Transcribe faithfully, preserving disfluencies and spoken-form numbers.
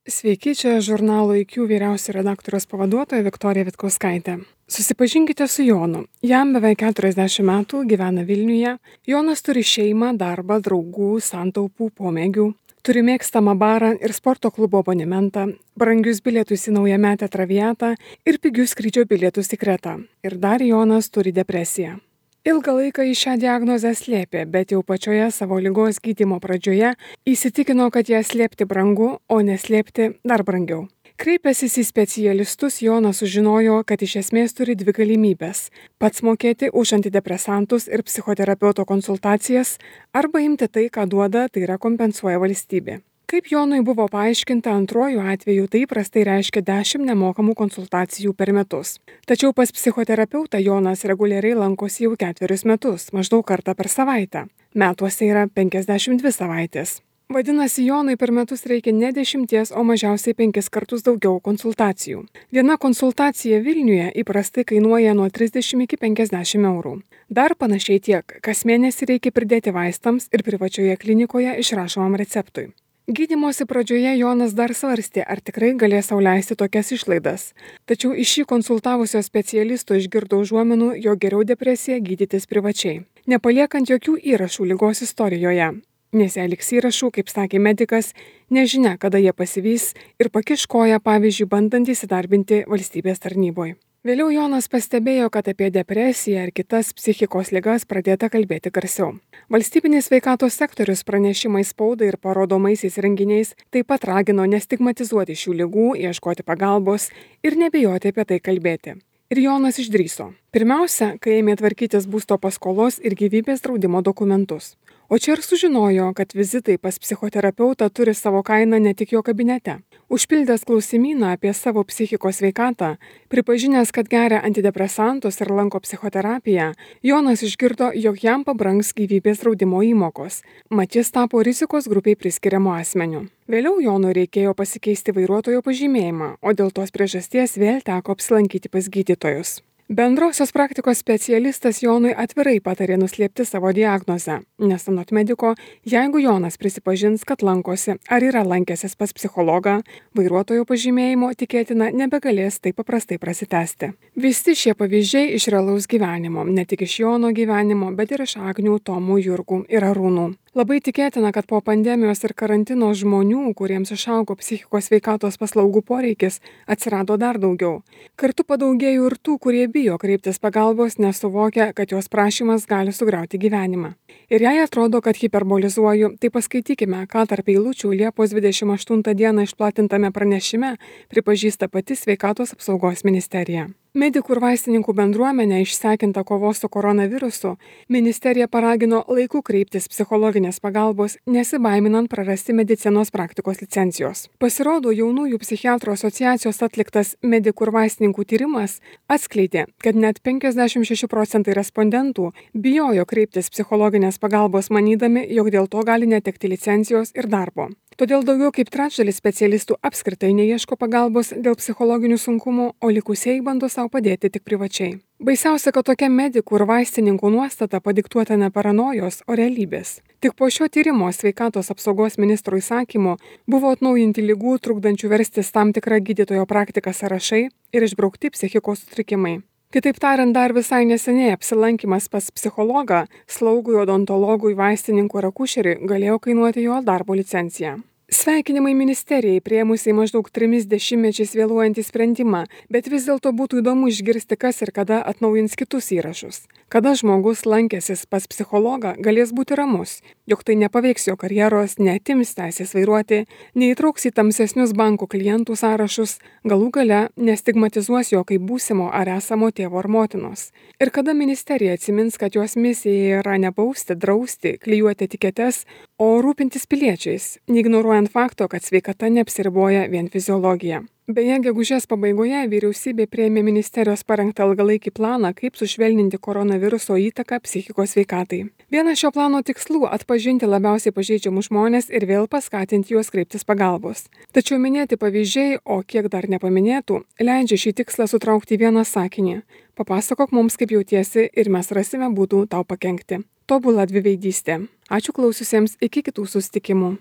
Sveiki, čia žurnalo I Q vyriausio redaktoriaus pavaduotoja Viktorija Vitkauskaitė. Susipažinkite su Jonu. Jam beveik keturiasdešimt metų, gyvena Vilniuje. Jonas turi šeimą, darbą, draugų, santaupų, pomėgių. Turi mėgstamą barą ir sporto klubo abonementą, brangius bilietus į naujametę Traviatą ir pigius skrydžio bilietus į Kretą. Ir dar Jonas turi depresiją. Ilgą laiką jis šią diagnozę slėpė, bet jau pačioje savo ligos gydymo pradžioje įsitikino, kad ją slėpti brangu, o neslėpti dar brangiau. Kreipęsis į specialistus, Jonas sužinojo, kad iš esmės turi dvi galimybės – pats mokėti už antidepresantus ir psichoterapeuto konsultacijas, arba imti tai, ką duoda, tai yra kompensuoja valstybė. Kaip Jonui buvo paaiškinta, antruoju atveju tai įprastai reiškia dešimt nemokamų konsultacijų per metus. Tačiau pas psichoterapeutą Jonas reguliariai lankosi jau ketverius metus, maždaug kartą per savaitę. Metuose yra penkiasdešimt dvi savaitės. Vadinasi, Jonui per metus reikia ne dešimties, o mažiausiai penkis kartus daugiau konsultacijų. Viena konsultacija Vilniuje įprastai kainuoja nuo trisdešimt iki penkiasdešimt eurų. Dar panašiai tiek, kas mėnesį reikia pridėti vaistams ir privačioje klinikoje išrašomam receptui. Gydymosi pradžioje Jonas dar svarstė, ar tikrai galės sau leisti tokias išlaidas. Tačiau iš šį konsultavusio specialisto išgirdo užuominų, jog geriau depresiją gydytis privačiai, nepaliekant jokių įrašų ligos istorijoje. Nes jei liks įrašų, kaip sakė medikas, nežinia, kada jie pasivys ir pakiš koją, pavyzdžiui, bandant įsidarbinti valstybės tarnyboje. Vėliau Jonas pastebėjo, kad apie depresiją ir kitas psichikos ligas pradėta kalbėti garsiau. Valstybinis sveikatos sektorius pranešimais spaudai ir parodomaisiais renginiais taip pat ragino nestigmatizuoti šių ligų, ieškoti pagalbos ir nebijoti apie tai kalbėti. Ir Jonas išdrįso. Pirmiausia, kai ėmė tvarkytis būsto paskolos ir gyvybės draudimo dokumentus. O čia ir sužinojo, kad vizitai pas psichoterapeutą turi savo kainą ne tik jo kabinete. Užpildęs klausimyną apie savo psichikos sveikatą, pripažinęs, kad geria antidepresantus ir lanko psichoterapiją, Jonas išgirdo, jog jam pabrangs gyvybės draudimo įmokos. Mat jis tapo rizikos grupiai priskiriamu asmeniu. Vėliau Jonui reikėjo pasikeisti vairuotojo pažymėjimą, o dėl tos priežasties vėl teko apsilankyti pas gydytojus. Bendrosios praktikos specialistas Jonui atvirai patarė nuslėpti savo diagnozę, nes anot mediko, jeigu Jonas prisipažins, kad lankosi ar yra lankęsis pas psichologą, vairuotojo pažymėjimo tikėtina nebegalės taip paprastai prasitęsti. Visi šie pavyzdžiai iš realaus gyvenimo, ne tik iš Jono gyvenimo, bet ir iš Agnių, Tomų, Jurgų ir Arūnų. Labai tikėtina, kad po pandemijos ir karantino žmonių, kuriems išaugo psichikos sveikatos paslaugų poreikis, atsirado dar daugiau. Kartu padaugėjo ir tų, kurie bijo kreiptis pagalbos, nes suvokia, kad jos prašymas gali sugriauti gyvenimą. Ir jei atrodo, kad hiperbolizuoju, tai paskaitykime, ką tarp eilučių Liepos dvidešimt aštuntą dieną išplatintame pranešime pripažįsta pati Sveikatos apsaugos ministerija. Medikų ir vaistininkų bendruomenė, išsekinta kovos su koronavirusu, ministerija paragino laiku kreiptis psichologinės pagalbos, nesibaiminant prarasti medicinos praktikos licencijos. Pasirodo, jaunųjų psichiatrų asociacijos atliktas medikų ir vaistininkų tyrimas atskleidė, kad net penkiasdešimt šeši procentai respondentų bijojo kreiptis psichologinės pagalbos manydami, jog dėl to gali netekti licencijos ir darbo. Todėl daugiau kaip trečdalis specialistų apskritai neieško pagalbos dėl psichologinių sunkumų, o likusieji bando sau padėti tik privačiai. Baisiausia, kad tokia medikų ir vaistininkų nuostata padiktuota ne paranojos, o realybės. Tik po šio tyrimo Sveikatos apsaugos ministro įsakymu buvo atnaujinti ligų trukdančių verstis tam tikrą gydytojo praktiką sąrašai ir išbraukti psichikos sutrikimai. Kitaip tariant, dar visai neseniai apsilankimas pas psichologą, slaugui, odontologui, vaistininkui ar akušeriui galėjo kainuoti jo darbo licenciją. Sveikinimai ministerijai priėmusiai maždaug trimis dešimtmečiais vėluojantį sprendimą, bet vis dėlto būtų įdomu išgirsti, kas ir kada atnaujins kitus įrašus. Kada žmogus lankęsis pas psichologą galės būti ramus, jog tai nepaveiks jo karjeros, neatims teisės vairuoti, neįtrauks į tamsesnius bankų klientų sąrašus, galų gale nestigmatizuos jo kaip būsimo ar esamo tėvo ar motinos. Ir kada ministerija atsimins, kad jos misija yra ne bausti, drausti, klijuoti etiketes, o rūpintis piliečiais, neignoruojant fakto, kad sveikata neapsiriboja vien fiziologija. Beje, gegužės pabaigoje vyriausybė priėmė ministerijos parengtą ilgalaikį planą, kaip sušvelninti koronaviruso įtaką psichikos sveikatai. Vienas šio plano tikslų – atpažinti labiausiai pažeidžiamus žmones ir vėl paskatinti juos kreiptis pagalbos. Tačiau minėti pavyzdžiai, o kiek dar nepaminėtų, leidžia šį tikslą sutraukti vieną sakinį. Papasakok mums, kaip jautiesi ir mes rasime būdų tau pakenkti. Tobula dviveidystė. Ačiū klausiusiems, iki kitų susitikimų.